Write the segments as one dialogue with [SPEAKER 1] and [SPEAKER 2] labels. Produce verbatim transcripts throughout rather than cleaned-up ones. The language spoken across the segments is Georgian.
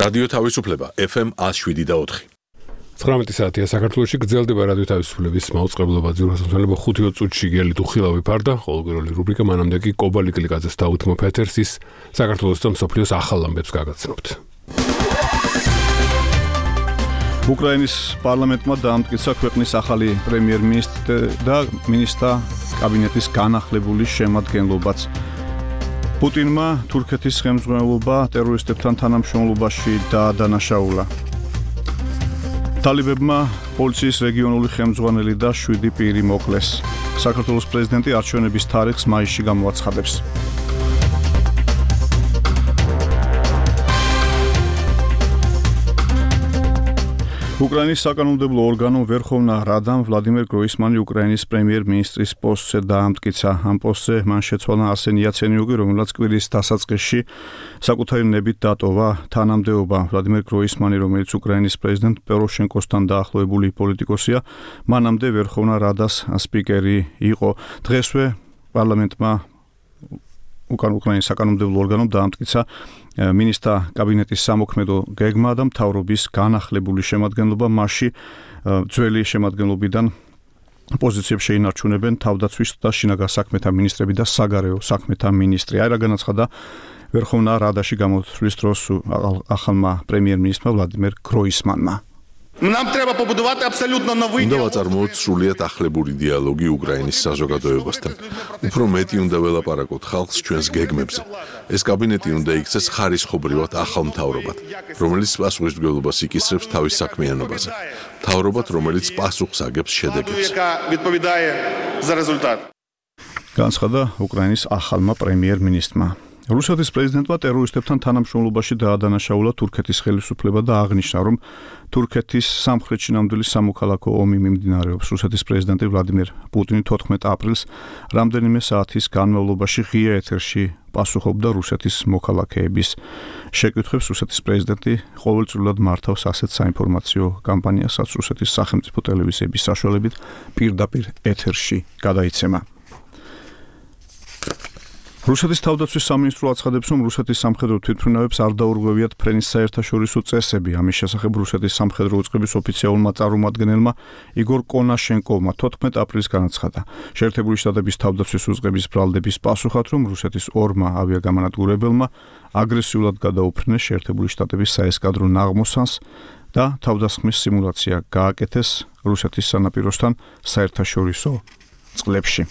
[SPEAKER 1] რადიო თავისუფლება ეფ ემ one oh seven და four.
[SPEAKER 2] ცხრამეტი საათია საქართველოში გრძელდება რადიო თავისუფლების მაუწყებლობა ძიროსამსვლელობა ხუთი წუთში გელი თუ ხილავი ფარდა, ყოველგვაროვანი რუბრიკა მანამდე კი კობალი კლიკაძეს დაუთმო ფეთერსის საქართველოს და მსოფლიოს ახალ ამბებს გაგაცნობთ.
[SPEAKER 3] უკრაინის პარლამენტმა დაამტკიცა ქვეყნის ახალი პრემიერ-მინისტრი და მინისტრთა კაბინეტის განახლებული შემადგენლობაც. პუტინმა თურქეთის ხელმძღვანელობა ტერორისტებთან თანამშრომლობაში დაადანაშაულა. ტალიბებმა პოლიციის რეგიონული ხელმძღვანელი და შვიდი პირი მოკლეს. საქართველოს პრეზიდენტი არჩევნების თარიღს მაისში გამოაცხადებს. უკრაინის საკანონმდებლო ორგანომ ვერხოვნა რადამ ვლადიმერ გროისმანი უკრაინის პრემიერ-მინისტრის პოსტზე დაამტკიცა. ამ პოსტზე მან შეცვალა არსენ იაცენიუკი, რომელსაც კვირის დასაწყისში საკუთარი ნებით დატოვა თანამდებობა. ვლადიმერ გროისმანი, რომელიც უკრაინის პრეზიდენტ პოროშენკოსთან დაახლოებული პოლიტიკოსია, მანამდე ვერხოვნა რადას სპიკერი იყო. დღესვე პარლამენტმა უკან უკრაინის საკანონმდებლო ორგანომ დაამტკიცა მინისტრთა კაბინეტის სამოქმედო გეგმა და მთავრობის განახლებული შემადგენლობა. მასში ძველი შემადგენლობიდან პოზიციებს შეინარჩუნებენ თავდაცვის და შინაგან საქმეთა მინისტრები და საგარეო საქმეთა მინისტრი. აი რა განაცხადა ვერხოვნა რადაში გამოთვლის დროს ახალმა პრემიერ-მინისტრმა ვლადიმერ გროისმანმა.
[SPEAKER 4] Нам треба побудувати абсолютно новий
[SPEAKER 1] უნდა ვაწარმოოთ სრულიად ახლებური დიალოგი უკრაინის საზოგადოებასთან. უფრო მეტი უნდა ველაპარაკოთ ხალხს ჩვენს გეგმებზე. ეს კაბინეტი უნდა იქცეს ხარისხობრივად ახალ მთავრობად, რომელიც პასუხისმგებლობას იკისრებს თავის საქმიანობაზე. მთავრობად, რომელიც პასუხს აგებს შედეგებს.
[SPEAKER 3] განაცხადა უკრაინის ახალმა პრემიერ-მინისტრმა. რუსეთის პრეზიდენტმა ტერორისტებთან თანამშრომლობაში დაადანაშაულა თურქეთის ხელისუფლება და აღნიშნა, რომ თურქეთის სამხრეთში ნამდვილი სამოქალაქო ომი მიმდინარეობს. რუსეთის პრეზიდენტი ვლადიმერ პუტინი თოთხმეტ აპრილს რამდენიმე საათის განმავლობაში ღია ეთერში პასუხობდა რუსეთის მოქალაქეების შეკითხვებს. რუსეთის პრეზიდენტი ყოველწლიურად მართავს ასეთ საინფორმაციო კამპანიასაც რუსეთის სახელმწიფო ტელევიზიების საშუალებით პირდაპირ ეთერში გადაიცემა. რუსეთის თავდაცვის სამინისტრო აცხადებს, რომ რუსეთის სამხედრო თვითმფრინავებს არ დაურღვევიათ ფრენის საერთაშორისო წესები. ამის შესახებ რუსეთის სამხედრო უწყების ოფიციალურმა წარმომადგენელმა იგორ კონაშენკოვმა თოთხმეტ აპრილს განაცხადა. შეერთებული შტატების თავდაცვის უწყების ბრალდების პასუხად, რომ რუსეთის ორმა ავიაგამანადგურებელმა აგრესიულად გადაუფრინეს შეერთებული შტატების საესკადრო ნაღმოსანს და თავდასხმის სიმულაცია გააკეთეს რუსეთის სანაპიროსთან საერთაშორისო წყლებში.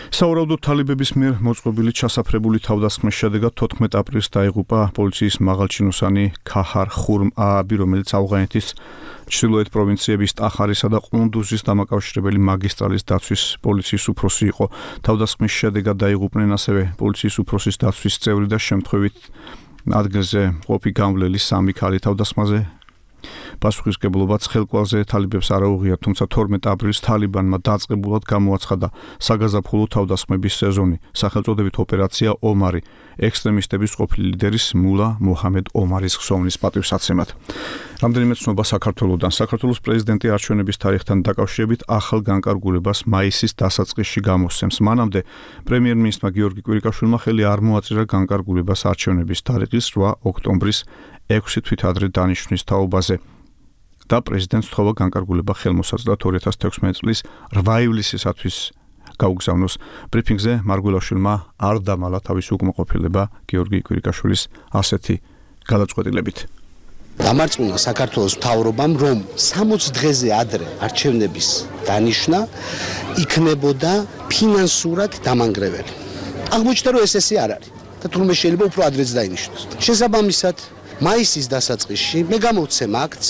[SPEAKER 3] საურავდოდ თალიბების მიერ მოწყობილი ჩასაფრებული თავდასხმის შედეგად თოთხმეტ აპრილს დაიღუპა პოლიციის მაღალჩინოსანი ქაჰარ ხურმ ააბი, რომელიც ავღანეთის ჩრდილოეთ პროვინციების ტახარისა და ყუნდუზის დამაკავშირებელი მაგისტრალის დაცვის პოლიციის უფროსი იყო. თავდასხმის შედეგად დაიღუპნენ ასევე პოლიციის უფროსის დაცვის წევრი და შემთხვევით ადგილზე მყოფი გამვლელი სამი ქალი. თავდასხმაზე პასუხისმგებლობაც ხელკვალზე თალიბებს არ აუღია, თუმცა თორმეტ აპრილს თალიბანმა დაწყებულად გამოაცხადა საგაზაფხულო თავდასხმების სეზონი. სახელწოდებით ოპერაცია ომარი, ექსტრემისტების ყოფილი ლიდერის მულა მოჰამედ ომარის ხსოვნის პატივსაცემად. რამდენიმე ცნობა საქართველოსდან. საქართველოს პრეზიდენტი არჩევნების თარიღთან დაკავშირებით ახალ განკარგულებას მაისის დასაწყისში გამოსცემს. მანამდე პრემიერ-მინისტრმა გიორგი კვირიკაშვილმა ხელი არ მოაწირა განკარგულებას არჩევნების თარიღის რვა ოქტომბრის ექვსი თვით ადრე დანიშვნის თაობაზე და პრეზიდენტს თხოვა განკარგულება ხელმოსაძლად ორი ათას თექვსმეტი წლის რვა ივლისისათვის გაუგზავნოს. ბრიფინგზე მარგველაშვილმა არ დამალა თავისი უკმაყოფილება გიორგი კვირიკაშვილის ასეთი გადაწყვეტილებით.
[SPEAKER 5] დამარწმუნა საქართველოს მთავრობამ, რომ სამოცი დღეზე ადრე არჩევნების დანიშვნა იქნებოდა ფინანსურად დამანგრეველი. აღმოჩნდა, რომ ეს ესე არ არის და თურმე შეიძლება უფრო ადრეც დაინიშნოს. შესაბამისად, მაისის დასაწყისში მე გამოვცემ აქტს,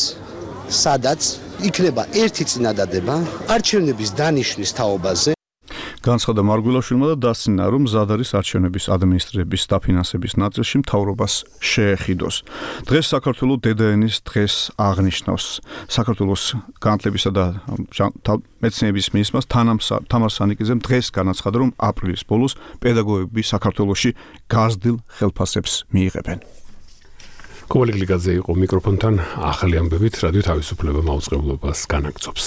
[SPEAKER 5] სადაც იქნება ერთი წინადადება არჩევნების დანიშვნის თაობაზე.
[SPEAKER 3] განაცხადა მარგველაშვილმა და დასცინა, რომ მზად არის არჩევნების ადმინისტრირების დაფინანსების ნაწილში მთავრობას შეეხიდოს. დღეს საქართველოს დედაენის დღეს აღნიშნავს. საქართველოს განათლებისა და მეცნიერების მინისტრმა თამარ სანიკიძემ დღეს განაცხადა, რომ აპრილის ბოლოს პედაგოგები საქართველოში გაზრდილ ხელფასებს მიიღებენ.
[SPEAKER 2] კობალი კლიკაძე იყო მიკროფონთან, ახალი ამბებით რადიო თავისუფლება მაუწყებლობას განაგრძობს.